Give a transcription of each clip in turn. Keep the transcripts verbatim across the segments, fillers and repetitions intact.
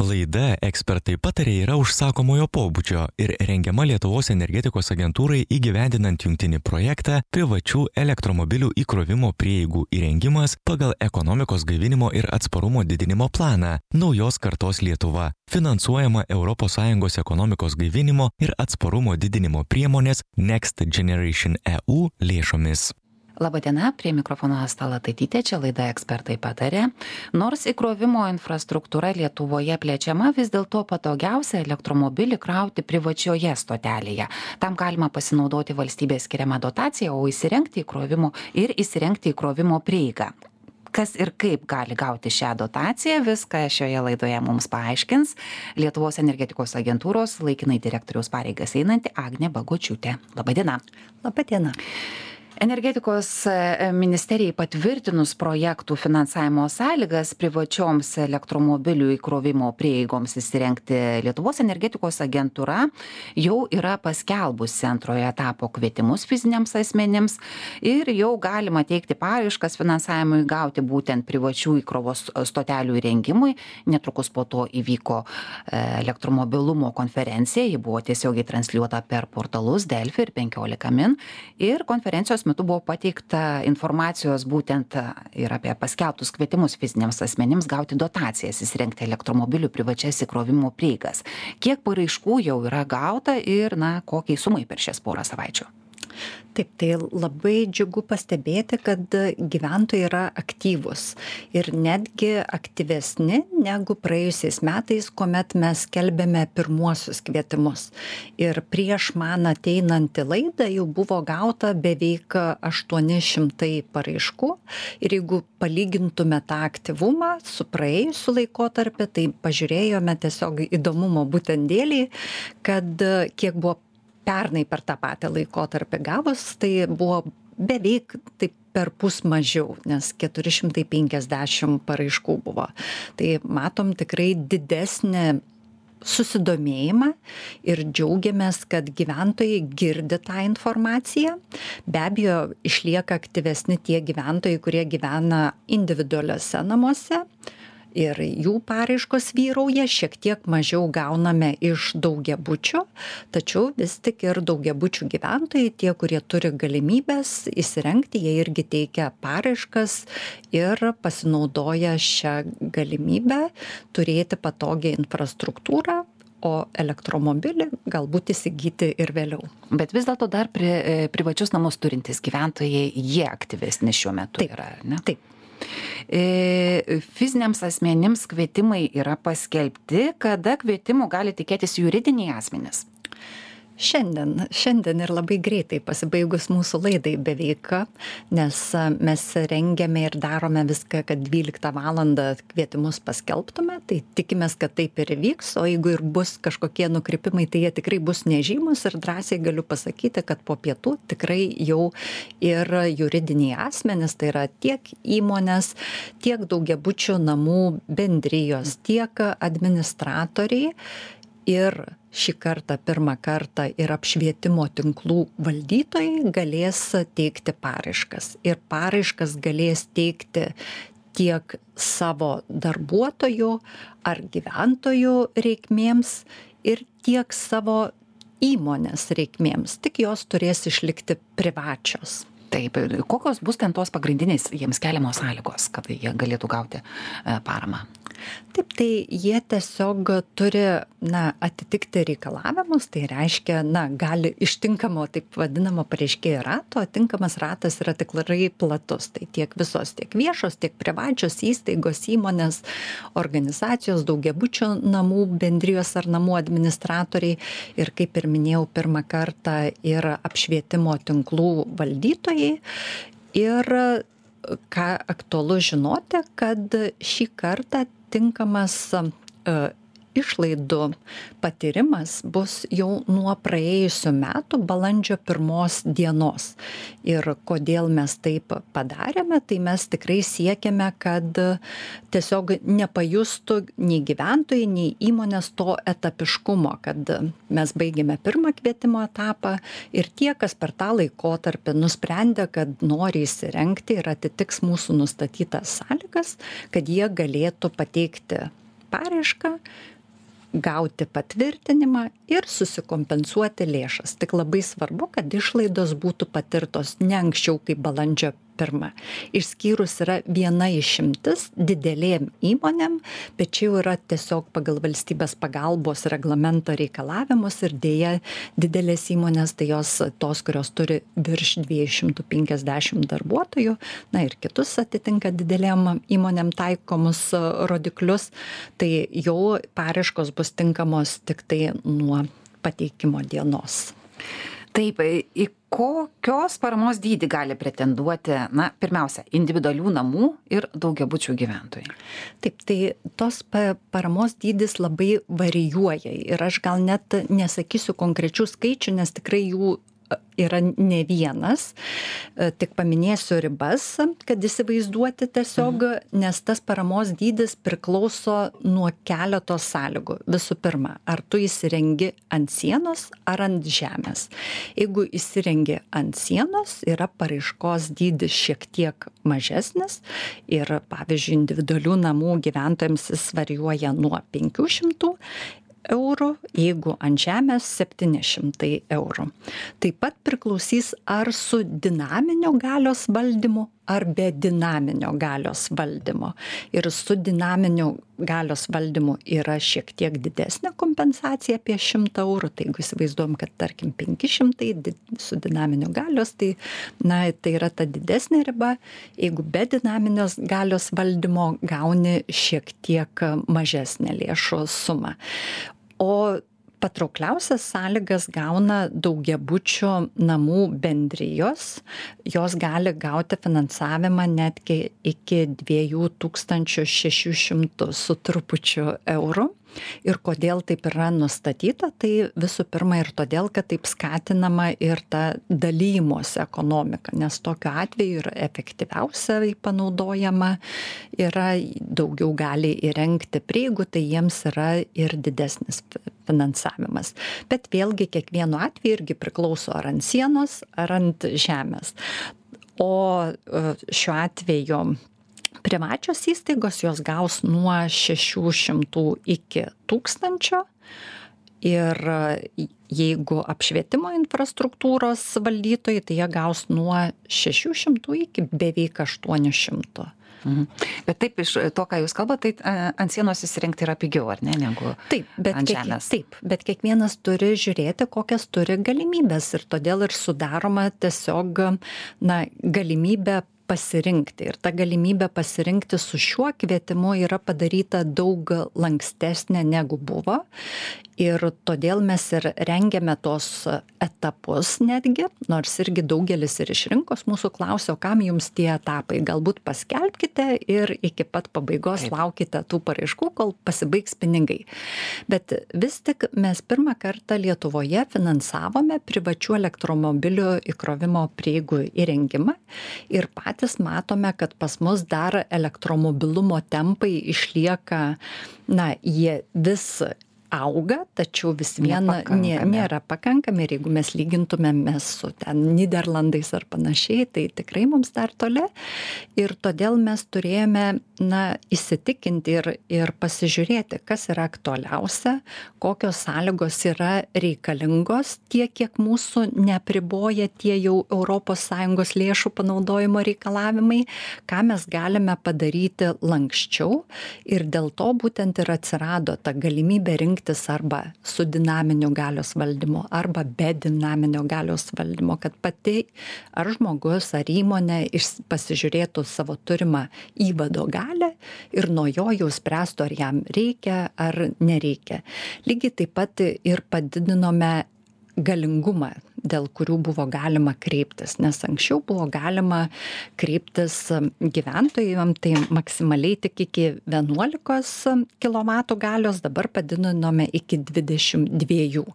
Laida Ekspertai patarė yra užsakomojo pobūdžio ir rengiama Lietuvos energetikos agentūrai įgyvendinant jungtinį projektą privačių elektromobilių įkrovimo prieigų įrengimas pagal ekonomikos gaivinimo ir atsparumo didinimo planą Naujos kartos Lietuva, finansuojama Europos Sąjungos ekonomikos gaivinimo ir atsparumo didinimo priemonės Next Generation E U lėšomis. Labadiena, prie mikrofono Asta Lataitytė, čia laida Ekspertai patarė. Nors įkrovimo infrastruktūra Lietuvoje plečiama, vis dėlto patogiausia elektromobilį krauti privačioje stotelėje. Tam galima pasinaudoti valstybės skiriamą dotaciją, o įsirengti įkrovimo ir įsirengti įkrovimo prieigą. Kas ir kaip gali gauti šią dotaciją, viską šioje laidoje mums paaiškins Lietuvos energetikos agentūros laikinai direktoriaus pareigas einanti Agnė Bagočiūtė. Labadiena. Labadiena. Energetikos ministerijai patvirtinus projektų finansavimo sąlygas privačioms elektromobilių įkrovimo prieigoms įsirengti, Lietuvos energetikos agentūra jau yra paskelbusi antrojo etapo kvietimus fiziniams asmenims ir jau galima teikti paraiškas finansavimui gauti būtent privačių įkrovos stotelių įrengimui. Netrukus po to įvyko elektromobilumo konferencija, ji buvo tiesiogiai transliuota per portalus Delfi ir penkiolika min ir konferencijos metu buvo pateikta informacijos būtent ir apie paskelbtus kvietimus fiziniams asmenims gauti dotacijas įsirengti elektromobilių privačias įkrovimo prieigas. Kiek paraiškų jau yra gauta ir, na, kokiai sumai per šias porą savaičių? Taip, tai labai džiugu pastebėti, kad gyventojai yra aktyvūs ir netgi aktyvesni negu praėjusiais metais, kuomet mes skelbėme pirmuosius kvietimus. Ir prieš man ateinant į laidą jau buvo gauta beveik aštuoni šimtai paraiškų. Ir jeigu palygintume tą aktyvumą su praėjusiu laikotarpiu, tai pažiūrėjome tiesiog įdomumo būtent dėliai, kad kiek buvo pernai per tą patį laikotarpį gavus, tai buvo beveik taip per pus mažiau, nes keturi šimtai penkiasdešimt paraiškų buvo. Tai matom tikrai didesnį susidomėjimą ir džiaugiamės, kad gyventojai girdi tą informaciją. Be abejo, išlieka aktyvesni tie gyventojai, kurie gyvena individualiuose namuose. Ir jų paraiškos vyrauja, šiek tiek mažiau gauname iš daugiabučių, tačiau vis tik ir daugiabučių gyventojai, tie, kurie turi galimybės įsirengti, jie irgi teikia paraiškas ir pasinaudoja šią galimybę turėti patogią infrastruktūrą, o elektromobilį galbūt įsigyti ir vėliau. Bet vis dėlto dar pri, privačius namus turintys gyventojai, jie aktyvesni šiuo metu Taip, yra, ne? Taip. Fiziniams asmenims kvietimai yra paskelbti, kada kvietimų gali tikėtis juridiniai asmenys? Šiandien, šiandien ir labai greitai pasibaigus mūsų laidai beveik, nes mes rengiame ir darome viską, kad dvyliktą valandą kvietimus paskelbtume, tai tikimės, kad taip ir vyks, o jeigu ir bus kažkokie nukrypimai, tai jie tikrai bus nežymus ir drąsiai galiu pasakyti, kad po pietų tikrai jau ir juridiniai asmenys, tai yra tiek įmonės, tiek daugiabučių namų bendrijos, tiek administratoriai ir šį kartą, pirmą kartą ir apšvietimo tinklų valdytojai galės teikti paraiškas. Ir paraiškas galės teikti tiek savo darbuotojų ar gyventojų reikmėms ir tiek savo įmonės reikmėms. Tik jos turės išlikti privačios. Taip, kokios bus ten tos pagrindinės jiems keliamos sąlygos, kad jie galėtų gauti paramą? Taip, tai jie tiesiog turi, na, atitikti reikalavimus, tai reiškia, na, gali iš tinkamo, taip vadinamo pareiškėjo rato, tinkamas ratas yra tikrai platus, tai tiek visos, tiek viešos, tiek privačios įstaigos, įmonės, organizacijos, daugiabučių namų bendrijos ar namų administratoriai ir, kaip ir minėjau, pirmą kartą ir apšvietimo tinklų valdytojai ir ką aktualu žinoti, kad šį kartą tinkamas uh, išlaidų patyrimas bus jau nuo praėjusių metų balandžio pirmos dienos. Ir kodėl mes taip padarėme, tai mes tikrai siekiame, kad tiesiog nepajustų nei gyventojai, nei įmonės to etapiškumo, kad mes baigėme pirmą kvietimo etapą ir tie, kas per tą laikotarpį nusprendė, kad nori įsirengti ir atitiks mūsų nustatytas sąlygas, kad jie galėtų pateikti paraišką, gauti patvirtinimą ir susikompensuoti lėšas. Tik labai svarbu, kad išlaidos būtų patirtos ne anksčiau kaip balandžio pirmą. Išskyrus yra viena išimtis didelėm įmonėm, bet čia jau yra tiesiog pagal valstybės pagalbos reglamento reikalavimus ir dėja didelės įmonės, tai jos tos, kurios turi virš dviejų šimtų penkiasdešimt darbuotojų, na ir kitus atitinka didelėm įmonėm taikomus rodiklius, tai jau paraiškos bus tinkamos tik tai nuo pateikimo dienos. Taip, į kokios paramos dydį gali pretenduoti, na, pirmiausia, individualių namų ir daugiabučių gyventojai? Taip, tai tos paramos dydis labai varijuoja ir aš gal net nesakysiu konkrečių skaičių, nes tikrai jų yra ne vienas, tik paminėsiu ribas, kad įsivaizduoti tiesiog, nes tas paramos dydis priklauso nuo keletos sąlygų. Visų pirma, ar tu įsirengi ant sienos ar ant žemės. Jeigu įsirengi ant sienos, yra paraiškos dydis šiek tiek mažesnis ir, pavyzdžiui, individualių namų gyventojams jis varijuoja nuo penkių šimtų eurų, jeigu ant žemės septyni šimtai eurų. Taip pat priklausys, ar su dinaminio galios valdymu, ar be dinaminio galios valdymo. Ir su dinaminio galios valdymu yra šiek tiek didesnė kompensacija apie šimtą eurų. Tai jeigu įsivaizduojam, kad tarkim penki šimtai su dinaminio galios, tai, na, tai yra ta didesnė riba. Jeigu be dinaminios galios valdymo gauni šiek tiek mažesnę lėšų sumą. O patraukliausias sąlygas gauna daugiabučių namų bendrijos. Jos gali gauti finansavimą netgi iki dviejų tūkstančių šešių šimtų su trupučiu eurų. Ir kodėl taip yra nustatyta, tai visų pirma ir todėl, kad taip skatinama ir ta dalymosi ekonomika, nes tokiu atveju yra efektyviausiai panaudojama, yra daugiau gali įrengti prieigų, tai jiems yra ir didesnis finansavimas. Bet vėlgi kiekvienu atveju irgi priklauso ar ant sienos, ar ant žemės. O šiuo atveju privačios įstaigos jos gaus nuo šešių šimtų iki tūkstančio ir jeigu apšvietimo infrastruktūros valdytojai, tai jie gaus nuo šešių šimtų iki beveik aštuonių šimtų. Mhm. Bet taip, iš to, ką jūs kalbate, tai ant sienos įsirengti yra pigiau, ar ne, negu taip, bet ant kiek, žemės? Taip, bet kiekvienas turi žiūrėti, kokias turi galimybės ir todėl ir sudaroma tiesiog, na, galimybė pasirinkti. Ir ta galimybė pasirinkti su šiuo kvietimu yra padaryta daug lankstesnė negu buvo. Ir todėl mes ir rengiame tos etapus netgi, nors irgi daugelis ir iš rinkos mūsų klausia, o kam jums tie etapai? Galbūt paskelbkite ir iki pat pabaigos Taip. Laukite tų paraiškų, kol pasibaigs pinigai. Bet vis tik mes pirmą kartą Lietuvoje finansavome privačių elektromobilių įkrovimo prieigų įrengimą ir patys matome, kad pas mus dar elektromobilumo tempai išlieka, na, jie vis auga, tačiau vis viena nė, nėra pakankami ir jeigu mes lygintumėm mes su ten Niderlandais ar panašiai, tai tikrai mums dar toli ir todėl mes turėjome, na, įsitikinti ir, ir pasižiūrėti, kas yra aktualiausia, kokios sąlygos yra reikalingos, tiek kiek mūsų neapriboja tie jau Europos Sąjungos lėšų panaudojimo reikalavimai, ką mes galime padaryti lankščiau ir dėl to būtent ir atsirado ta galimybė rinkti arba su dinaminiu galios valdymu, arba be dinaminio galios valdymo, kad pati ar žmogus, ar įmonė pasižiūrėtų savo turimą įvado galią ir nuo jo jau spręstų, ar jam reikia, ar nereikia. Lygiai taip pat ir padidinome galingumą, dėl kurių buvo galima kreiptis, nes anksčiau buvo galima kreiptis gyventojams, tai maksimaliai tik iki vienuolikos kilovatų galios, dabar padidinome iki dvidešimt dviejų.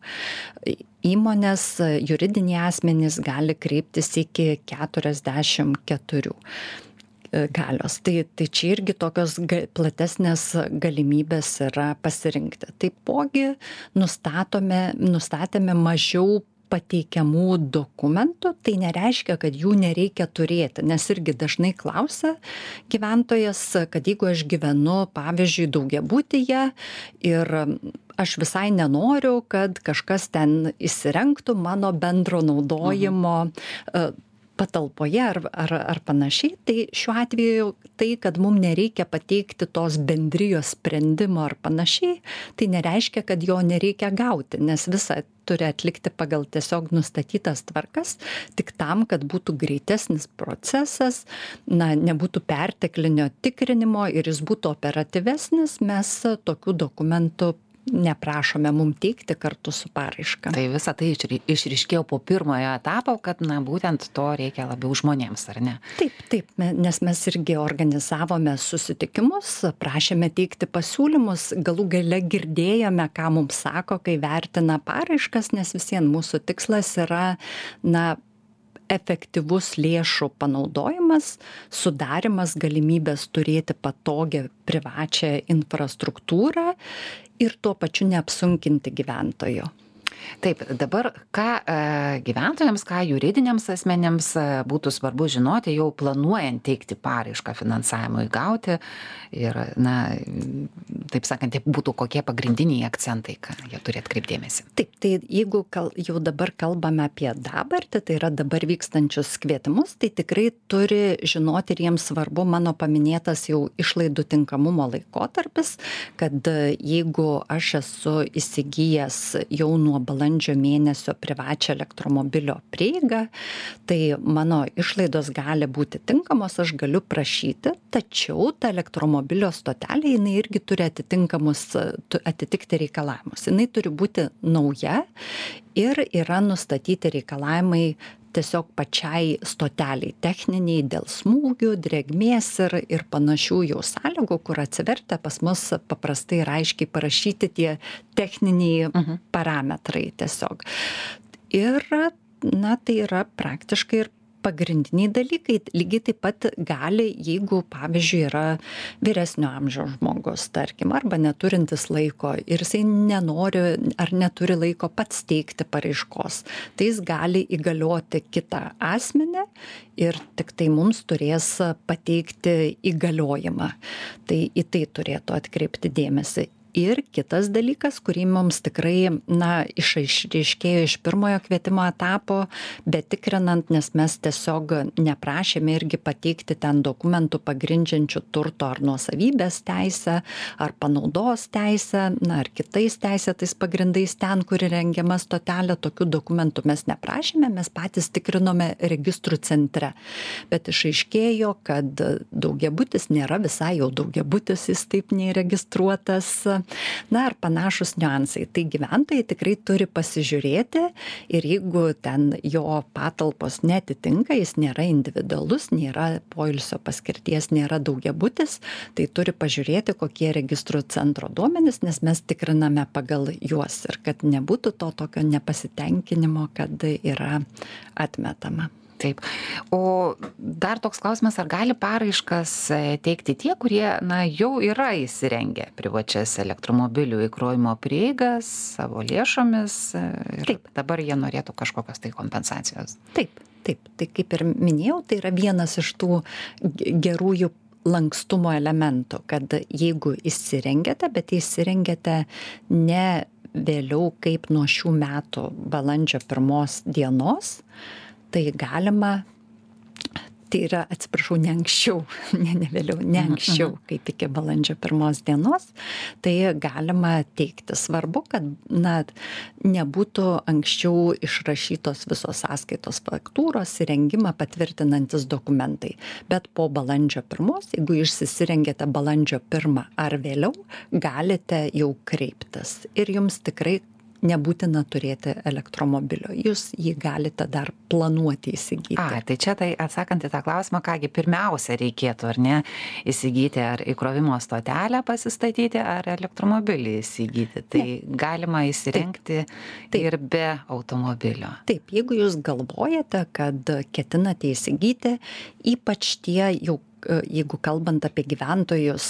Įmonės, juridiniai asmenys gali kreiptis iki keturiasdešimt keturių galios. Tai, tai čia irgi tokios ga, platesnės galimybės yra pasirinkti. Taipogi nustatome, nustatėme mažiau pateikiamų dokumentų, tai nereiškia, kad jų nereikia turėti, nes irgi dažnai klausia gyventojas, kad jeigu aš gyvenu, pavyzdžiui, daugiabutyje ir aš visai nenoriu, kad kažkas ten įsirengtų mano bendro naudojimo mhm. patalpoje ar, ar, ar panašiai, tai šiuo atveju tai, kad mums nereikia pateikti tos bendrijos sprendimo ar panašiai, tai nereiškia, kad jo nereikia gauti, nes visą turi atlikti pagal tiesiog nustatytas tvarkas, tik tam, kad būtų greitesnis procesas, na, nebūtų perteklinio tikrinimo ir jis būtų operatyvesnis, mes tokių dokumentų neprašome mum teikti kartu su paraiška. Tai visa tai išryškėjo po pirmojo etapo, kad, na, būtent to reikia labiau žmonėms, ar ne? Taip, taip, nes mes irgi organizavome susitikimus, prašėme teikti pasiūlymus, galų gale girdėjome, ką mums sako, kai vertina paraiškas, nes visien mūsų tikslas yra, na, efektyvus lėšų panaudojimas, sudarimas galimybės turėti patogią privačią infrastruktūrą ir tuo pačiu neapsunkinti gyventojo. Taip, dabar ką e, gyventojams, ką juridiniams asmenėms e, būtų svarbu žinoti, jau planuojant teikti paraišką finansavimui gauti ir, na, taip sakant, tai būtų kokie pagrindiniai akcentai, ką jie turi atkreipdėmėsi. Taip, tai jeigu kal, jau dabar kalbame apie dabartį, tai yra dabar vykstančius kvietimus, tai tikrai turi žinoti ir jiems svarbu mano paminėtas jau išlaidų tinkamumo laikotarpis, kad jeigu aš esu įsigijęs jau nuo balandžio mėnesio privačią elektromobilio prieigą, tai mano išlaidos gali būti tinkamos, aš galiu prašyti, tačiau ta elektromobilio stotelė, jinai irgi turi atitinkamus, atitikti reikalavimus. Jinai turi būti nauja ir yra nustatyti reikalavimai tiesiog pačiai stoteliai techniniai dėl smūgių, drėgmės ir, ir panašių jau sąlygų, kur atsivertę pas mus paprastai ir aiškiai parašyti tie techniniai uh-huh. parametrai tiesiog. Ir, na, tai yra praktiškai ir pagrindiniai dalykai. Lygiai taip pat gali, jeigu, pavyzdžiui, yra vyresnio amžiaus žmogus, tarkim, arba neturintis laiko ir jisai nenori ar neturi laiko pats teikti paraiškos, tai jis gali įgalioti kitą asmenį ir tik tai mums turės pateikti įgaliojimą. Tai į tai turėtų atkreipti dėmesį. Ir kitas dalykas, kurį mums tikrai, na, išaiškėjo iš pirmojo kvietimo etapo, bet tikrinant, nes mes tiesiog neprašėme irgi pateikti ten dokumentų pagrindžiančių turto ar nuosavybės teisę, ar panaudos teisę, na, ar kitais teisėtais pagrindais ten, kur rengiama stotelė, tokių dokumentų mes neprašėme, mes patys tikrinome registrų centre. Bet išaiškėjo, kad daugiabutis nėra visai jau daugiabutis, jis taip neįregistruotas. Na, ar panašus niuansai. Tai gyventojai tikrai turi pasižiūrėti ir jeigu ten jo patalpos netitinka, jis nėra individualus, nėra poilsio paskirties, nėra daugiabutis, tai turi pažiūrėti, kokie registrų centro duomenys, nes mes tikriname pagal juos ir kad nebūtų to tokio nepasitenkinimo, kad yra atmetama. Taip. O dar toks klausimas, ar gali paraiškas teikti tie, kurie, na, jau yra įsirengę privačias elektromobilių įkrovimo prieigas savo lėšomis ir taip. Dabar jie norėtų kažkokios tai kompensacijos? Taip, taip. Tai kaip ir minėjau, tai yra vienas iš tų gerųjų lankstumo elementų, kad jeigu įsirengėte, bet įsirengėte ne vėliau kaip nuo šių metų balandžio pirmos dienos, tai galima, tai yra, atsiprašau, ne anksčiau, ne, ne vėliau, ne anksčiau, kaip iki balandžio pirmos dienos, tai galima teikti. Svarbu, kad, na, nebūtų anksčiau išrašytos visos sąskaitos faktūros įrengimą patvirtinantis dokumentai. Bet po balandžio pirmos, jeigu jūs įsirengėte balandžio pirmą ar vėliau, galite jau kreiptis. Ir jums tikrai nebūtina turėti elektromobilio. Jūs jį galite dar planuoti įsigyti. A, tai čia tai atsakant į tą klausimą, kągi pirmiausia reikėtų, ar ne, įsigyti ar įkrovimo stotelę pasistatyti, ar elektromobilį įsigyti. Tai ne. Galima įsirengti taip. Taip. Ir be automobilio. Taip, jeigu jūs galvojate, kad ketinate įsigyti, ypač tie jau jeigu kalbant apie gyventojus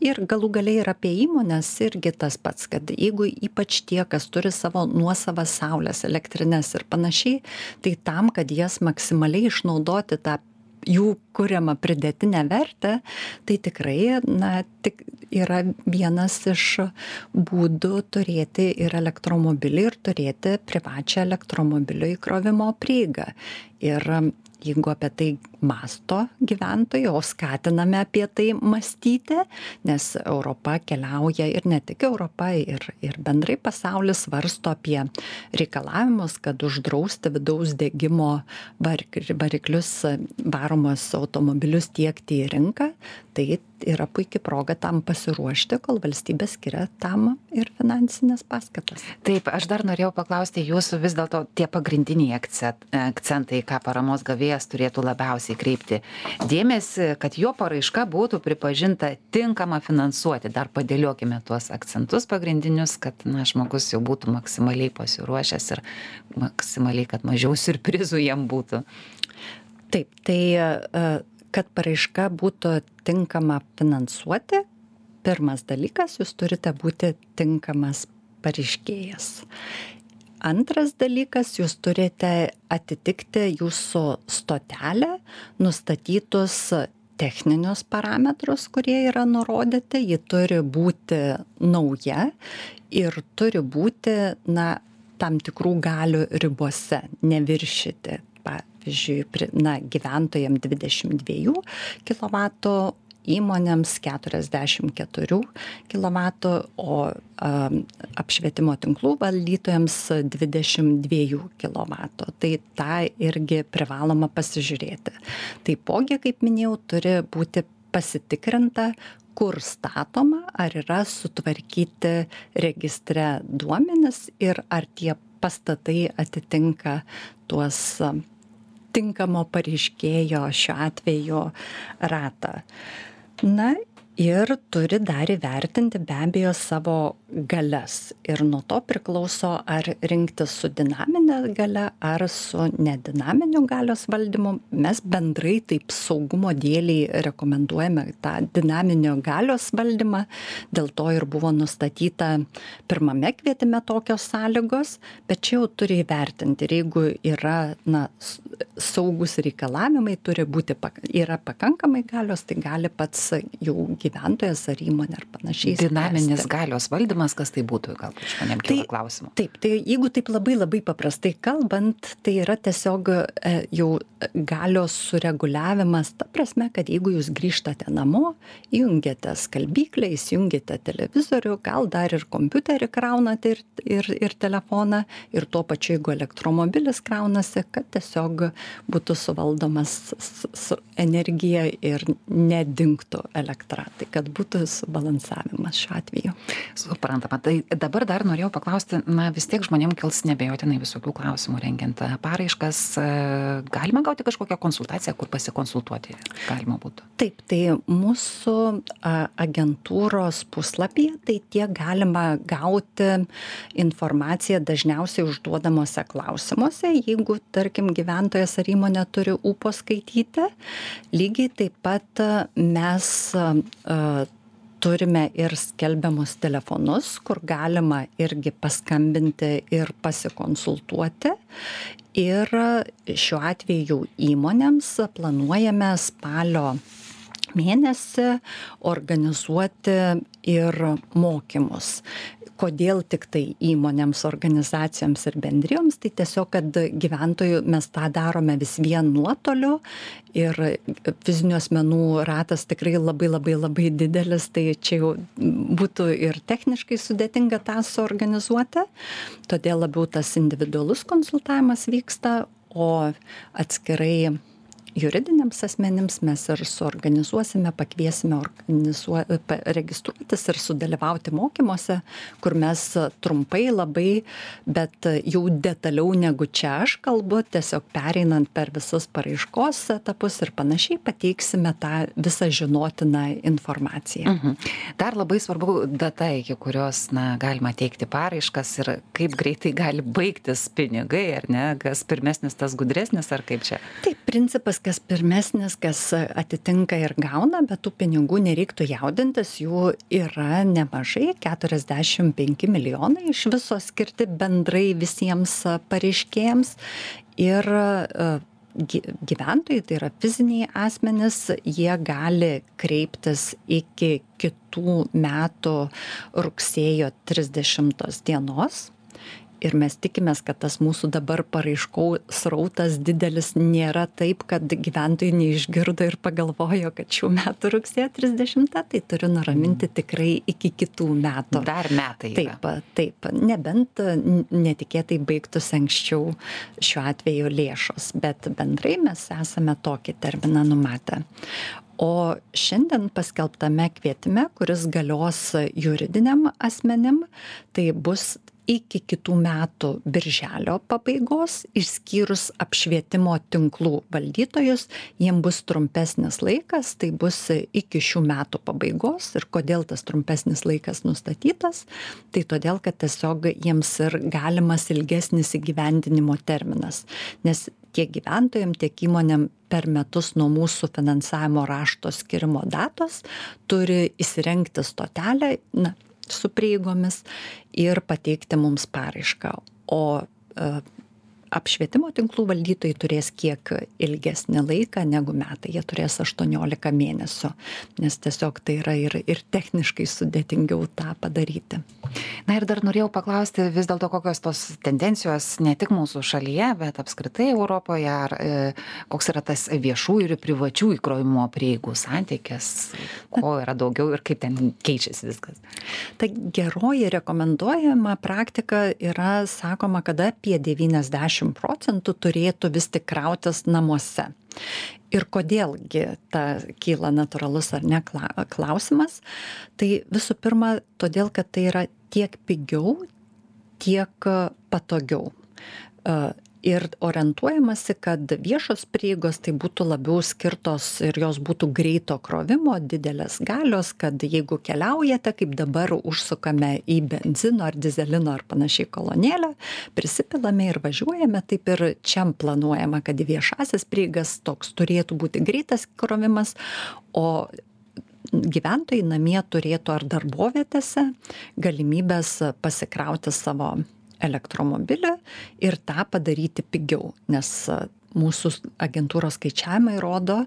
ir galų galiai ir apie įmones, irgi tas pats, kad jeigu ypač tie, kas turi savo nuosavas saulės elektrines ir panašiai, tai tam, kad jas maksimaliai išnaudoti tą jų kuriamą pridėtinę vertę, tai tikrai, na, tik yra vienas iš būdų turėti ir elektromobilį ir turėti privačią elektromobilio įkrovimo prieigą. Ir jeigu apie tai masto gyventojai, o skatiname apie tai mąstyti, nes Europa keliauja ir ne tik Europa, ir, ir bendrai pasaulis svarsto apie reikalavimus, kad uždrausti vidaus degimo variklius varomus automobilius tiekti į rinką, tai yra puikia proga tam pasiruošti, kol valstybė skiria tam ir finansinės paskatas. Taip, aš dar norėjau paklausti jūsų vis dėlto tie pagrindiniai akcentai, ką paramos gavėjas turėtų labiausiai kreipti dėmesį, kad jo paraiška būtų pripažinta tinkama finansuoti. Dar padėliokime tuos akcentus pagrindinius, kad na, žmogus jau būtų maksimaliai pasiruošęs ir maksimaliai, kad mažiau siurprizų jam būtų. Taip, tai kad paraiška būtų tinkama finansuoti, pirmas dalykas, jūs turite būti tinkamas pareiškėjas. Antras dalykas, jūs turite atitikti jūsų stotelę, nustatytus techninius parametrus, kurie yra nurodyti, ji turi būti nauja ir turi būti, na, tam tikrų galių ribose, neviršyti. Pavyzdžiui, na, gyventojams dvidešimt dviejų kilovatų, įmonėms keturiasdešimt keturių kilovatų, o um, apšvietimo tinklų valdytojams dvidešimt dviejų kilovatų. Tai tą irgi privaloma pasižiūrėti. Taipogi, kaip minėjau, turi būti pasitikrinta, kur statoma, ar yra sutvarkyti registre duomenis ir ar tie pastatai atitinka tuos tinkamo pareiškėjo šiuo atveju ratą. Na ir turi dar įvertinti be abejo savo galias. Ir nuo to priklauso, ar rinktis su dinaminė galia, ar su nedinaminiu galios valdymu. Mes bendrai taip saugumo dėliai rekomenduojame tą dinaminio galios valdymą. Dėl to ir buvo nustatyta pirmame kvietime tokios sąlygos, bet čia jau turi įvertinti. Ir jeigu yra na, saugus reikalavimai, turi būti, yra pakankamai galios, tai gali pats jau gyventojas ar įmonė ar panašiai. Dinaminis galios valdymas, kas tai būtų, gal žmonėm kyla klausimų. Taip, tai jeigu taip labai labai paprastai kalbant, tai yra tiesiog e, jau galios sureguliavimas, ta prasme, kad jeigu jūs grįžtate namo, įjungiate skalbyklę, įsijungiate televizorių, gal dar ir kompiuterį kraunate ir, ir, ir telefoną, ir tuo pačiu, jeigu elektromobilis kraunasi, kad tiesiog būtų suvaldomas su energija ir nedingtų elektra. Tai kad būtų subalansavimas šiuo atveju. Suprantama. Tai dabar dar norėjau paklausti, na vis tiek žmonėm kils nebejotinai visokių klausimų rengiant paraiškas. Galima gauti kažkokią konsultaciją, kur pasikonsultuoti galima būtų? Taip, tai mūsų agentūros puslapyje, tai tiek galima gauti informaciją dažniausiai užduodamuose klausimuose, jeigu, tarkim, gyventojas ar įmonė turi ūpo skaityti. Lygiai taip pat mes uh, turime ir skelbiamus telefonus, kur galima irgi paskambinti ir pasikonsultuoti. Ir šiuo atveju įmonėms planuojame spalio mėnesį organizuoti ir mokymus. Kodėl tik tai įmonėms, organizacijoms ir bendrijoms, tai tiesiog, kad gyventojų mes tą darome vis vien nuotoliu ir fizinių asmenų ratas tikrai labai labai labai didelis, tai čia jau būtų ir techniškai sudėtinga tą suorganizuoti, todėl labiau tas individualus konsultavimas vyksta, o atskirai juridiniams asmenims mes ir suorganizuosime, pakviesime organizuo, registruotis ir sudalyvauti mokymuose, kur mes trumpai labai, bet jau detaliau negu čia aš kalbu, tiesiog pereinant per visus paraiškos etapus ir panašiai, pateiksime tą visą žinotiną informaciją. Mhm. Dar labai svarbu data, iki kurios na, galima teikti paraiškas ir kaip greitai gali baigtis pinigai, ar ne, kas pirmesnis, tas gudresnis, ar kaip čia? Taip, Principas, kas pirmesnis, kas atitinka ir gauna, bet tų pinigų nereiktų jaudintis, jų yra nemažai, keturiasdešimt penki milijonai iš viso skirti bendrai visiems pareiškėjams ir gyventojai, tai yra fiziniai asmenys, jie gali kreiptis iki kitų metų rugsėjo trisdešimtos dienos. Ir mes tikimės, kad tas mūsų dabar paraiškų srautas didelis nėra taip, kad gyventojai neišgirdo ir pagalvojo, kad šių metų rugsėjo trisdešimta, tai turiu nuraminti tikrai iki kitų metų. Dar metai yra. Taip, taip, nebent netikėtai baigtųsi anksčiau šiuo atveju lėšos, bet bendrai mes esame tokį terminą numatę. O šiandien paskelbtame kvietime, kuris galios juridiniam asmenim, tai bus iki kitų metų birželio pabaigos, išskyrus apšvietimo tinklų valdytojus, jiem bus trumpesnis laikas, tai bus iki šių metų pabaigos. Ir kodėl tas trumpesnis laikas nustatytas? Tai todėl, kad tiesiog jiems ir galimas ilgesnis įgyvendinimo terminas. Nes tiek gyventojams, tiek įmonėm per metus nuo mūsų finansavimo rašto skirimo datos turi įsirengti stotelę, na, su prieigomis ir pateikti mums paraišką. O e, apšvietimo tinklų valdytojai turės kiek ilgesnį laiką negu metai. Jie turės aštuoniolika mėnesių, nes tiesiog tai yra ir, ir techniškai sudėtingiau tą padaryti. Na ir dar norėjau paklausti vis dėlto, kokios tos tendencijos ne tik mūsų šalyje, bet apskritai Europoje, ar e, koks yra tas viešų ir privačių įkrovimo prieigų santykis, ko yra daugiau ir kaip ten keičiasi viskas. Ta geroji rekomenduojama praktika yra, sakoma, kad apie devyniasdešimt procentų turėtų vis tik krautis namuose. Ir kodėlgi ta kyla natūralus ar ne klausimas, tai visų pirma, todėl, kad tai yra tiek pigiau, tiek patogiau. Ir orientuojamasi, kad viešos prieigos tai būtų labiau skirtos ir jos būtų greito krovimo, didelės galios, kad jeigu keliaujate, kaip dabar užsukame į benzino ar dizelino ar panašiai kolonėlę, prisipilame ir važiuojame, taip ir čia planuojama, kad į viešasias prieigas toks turėtų būti greitas krovimas, o gyventojai namie turėtų ar darbovietėse galimybės pasikrauti savo elektromobilį ir tą padaryti pigiau, nes mūsų agentūros skaičiavimai rodo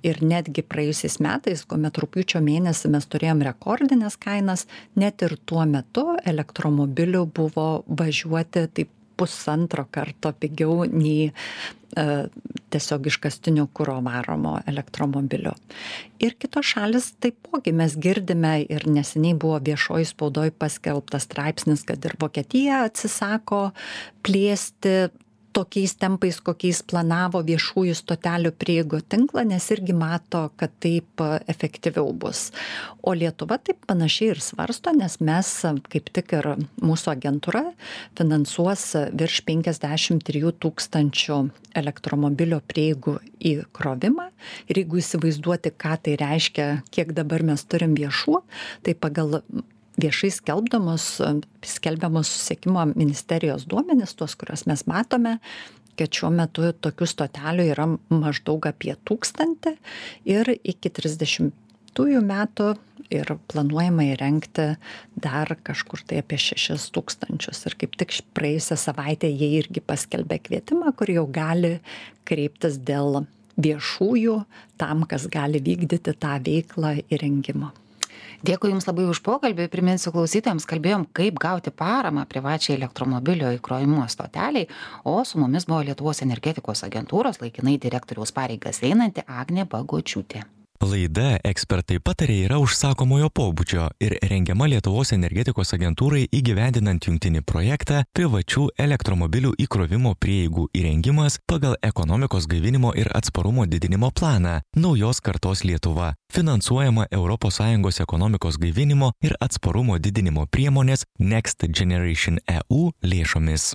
ir netgi praėjusiais metais, kuomet rugpjūčio mėnesį mes turėjom rekordinės kainas, net ir tuo metu elektromobilių buvo važiuoti taip pusantro karto pigiau nei e, tiesiog iškastinio kuro varomo elektromobilio. Ir kitos šalis taipogi mes girdime ir neseniai buvo viešoj spaudoj paskelbtas straipsnis, kad ir Vokietija atsisako plėsti tokiais tempais, kokiais planavo viešųjų stotelių prieigų tinklą, nes irgi mato, kad taip efektyviau bus. O Lietuva taip panašiai ir svarsto, nes mes, kaip tik ir mūsų agentūra, finansuos virš penkiasdešimt trijų tūkstančių elektromobilio prieigų įkrovimą. Ir jeigu įsivaizduoti, ką tai reiškia, kiek dabar mes turim viešų, tai pagal viešai skelbdamos, skelbiamos susisiekimo ministerijos duomenis, tuos, kuriuos mes matome, kad šiuo metu tokių stotelių yra maždaug apie tūkstantį ir iki trisdešimtųjų metų ir planuojama įrengti dar kažkur tai apie šešis tūkstančius. Ir kaip tik praėjusią savaitę jie irgi paskelbė kvietimą, kur jau gali kreiptis dėl viešųjų tam, kas gali vykdyti tą veiklą įrengimo. Dėkui Jums labai už pokalbį. Priminsiu klausytojams, kalbėjom, kaip gauti paramą privačiai elektromobilio įkrovimo stoteliai, o su mumis buvo Lietuvos energetikos agentūros laikinai direktoriaus pareigas einanti Agnė Bagočiūtė. Laida Ekspertai patarė yra užsakomojo pobūdžio ir rengiama Lietuvos energetikos agentūrai įgyvendinant jungtinį projektą privačių elektromobilių įkrovimo prieigų įrengimas pagal ekonomikos gaivinimo ir atsparumo didinimo planą Naujos kartos Lietuva, finansuojama Europos Sąjungos ekonomikos gaivinimo ir atsparumo didinimo priemonės Next Generation E U lėšomis.